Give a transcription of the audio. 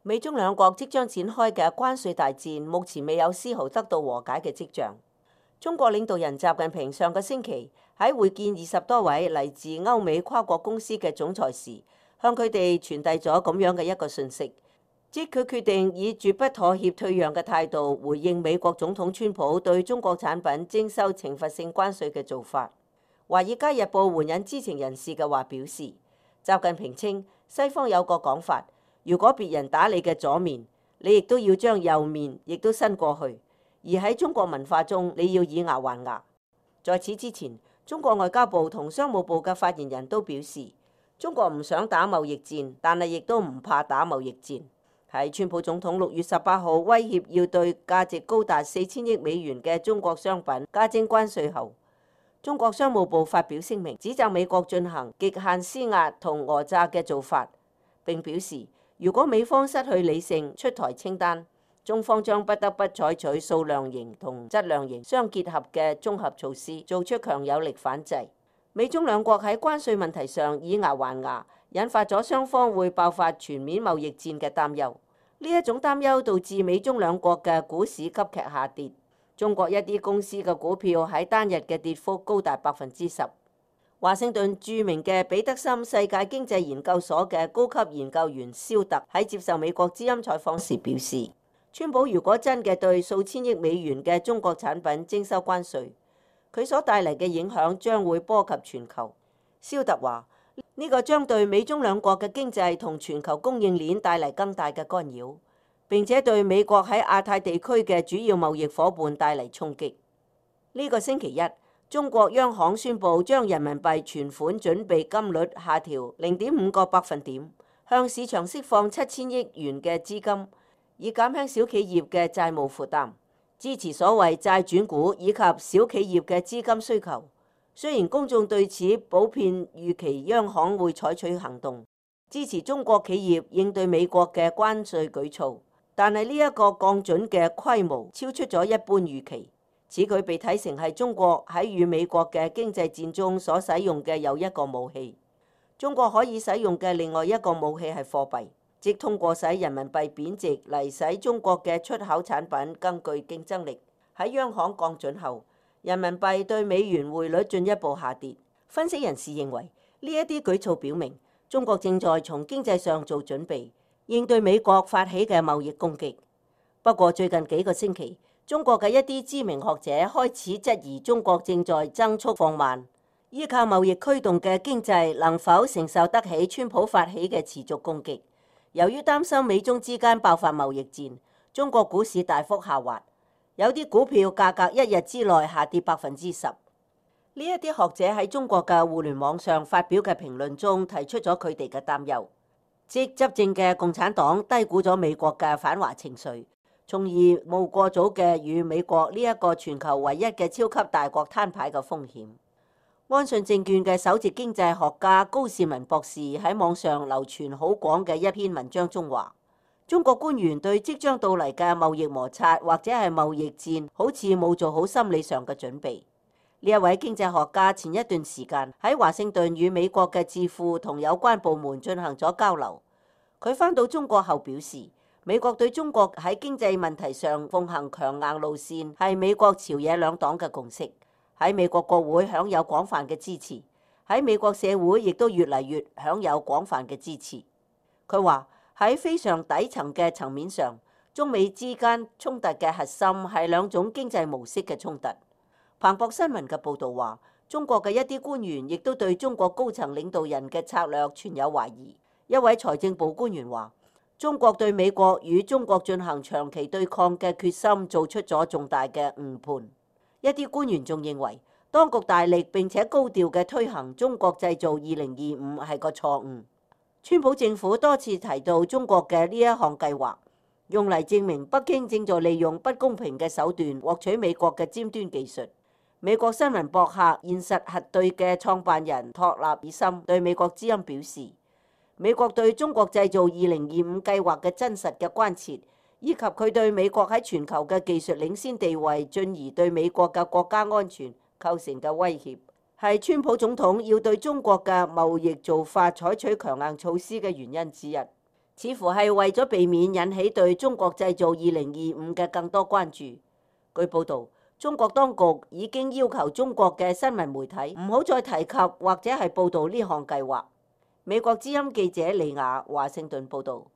美中兩國即將展開嘅關稅大戰，目前未有絲毫得到和解嘅跡象。中國領導人習近平上個星期喺會見20多位嚟自歐美跨國公司嘅總裁時，向佢哋傳遞咗咁樣嘅一個訊息，即佢決定以絕不妥協退讓嘅態度回應美國總統川普對中國產品徵收懲罰性關稅嘅做法。《華爾街日報》援引知情人士嘅話表示，習近平稱西方有個講法，如果別人打你嘅左面，你亦都要將右面亦都伸過去。而喺中國文化中，你要以牙還牙。在此之前，中國外交部同商務部嘅發言人都表示，中國唔想打貿易戰，但係亦都唔怕打貿易戰。喺川普總統6月18號威脅要對價值高達4000億美元嘅中國商品加徵關稅後，中國商務部發表聲明，指責美國進行極限施壓同訛詐嘅做法，並表示如果美方失去理性出台清單，中方將不得不採取數量型同質量型相結合嘅綜合措施，做出強有力反制。美中兩國喺關稅問題上以牙還牙，引發咗雙方會爆發全面貿易戰嘅擔憂。呢一種擔憂導致美中兩國嘅股市急劇下跌。中國一啲公司嘅股票喺單日嘅跌幅高達10%。華盛頓著名嘅彼得森世界經濟研究所嘅高級研究員肖特喺接受美國之音採訪時表示，川普如果真嘅對數千億美元嘅中國產品徵收關稅，佢所帶嚟嘅影響將會波及全球。肖特話：呢個將對美中兩國嘅經濟同全球供應鏈帶嚟更大嘅干擾，並且對美國喺亞太地區嘅主要貿易夥伴帶嚟衝擊。呢個星期一，中國央行宣布將人民幣存款準備金率下調0.5個百分點，向市場釋放7000億元嘅資金，以減輕小企業嘅債務負擔，支持所謂債轉股以及小企業嘅資金需求。雖然公眾對此普遍預期央行會採取行動，支持中國企業應對美國嘅關稅舉措，但係呢一個降準嘅規模超出咗一般預期，此舉被睇成係中國喺與美國嘅經濟戰中所使用嘅又一個武器。中國可以使用嘅另外一個武器係貨幣，即通過使人民幣貶值嚟使中國嘅出口產品更具競爭力。喺央行降準後，人民幣對美元匯率進一步下跌。分析人士認為，呢一啲舉措表明中國正在從經濟上做準備，應對美國發起嘅貿易攻擊。不過最近幾個星期，中國嘅一啲知名學者開始質疑中國正在增速放慢，依靠貿易驅動嘅經濟能否承受得起川普發起嘅持續攻擊。由於擔心美中之間爆發貿易戰，中國股市大幅下滑。有啲股票價格一日之內下跌10%。呢一啲學者喺中國嘅互聯網上發表嘅評論中提出咗佢哋嘅擔憂，即執政嘅共產黨低估咗美國嘅反華情緒，從而冒過早嘅與美國呢一個全球唯一嘅超級大國攤牌嘅風險。安信證券嘅首席經濟學家高士文博士喺網上流傳好廣嘅一篇文章中話，中國官員對即將到嚟嘅貿易摩擦或者係貿易戰，好似冇做好心理上嘅準備。呢一位經濟學家前一段時間喺華盛頓與美國嘅智庫同有關部門進行咗交流。佢返到中國後表示，美國對中國喺經濟問題上奉行強硬路線係美國朝野兩黨嘅共識，喺美國國會享有廣泛嘅支持，喺美國社會亦都越嚟越享有廣泛嘅支持。佢話，喺非常底層嘅層面上，中美之間衝突嘅核心係兩種經濟模式嘅衝突。彭博新聞嘅報導話，中國嘅一啲官員亦都對中國高層領導人嘅策略存有懷疑。一位財政部官員話，中國對美國與中國進行長期對抗嘅決心做出咗重大嘅誤判。一啲官員仲認為，當局大力並且高調嘅推行中國製造2025係個錯誤。川普政府多次提到中國嘅呢一項計劃，用嚟證明北京正在利用不公平嘅手段獲取美國嘅尖端技術。美國新聞博客現實核對嘅創辦人托納爾森對美國之音表示，美國對中國製造2025計劃嘅真實嘅關切，以及佢對美國喺全球嘅技術領先地位，進而對美國嘅國家安全構成嘅威脅，係川普總統要對中國嘅貿易做法採取強硬措施嘅原因之一。似乎係為咗避免引起對中國製造2025嘅更多關注。據報導，中國當局已經要求中國嘅新聞媒體唔好再提及或者係報導呢項計劃。美國之音記者李雅華盛頓報導。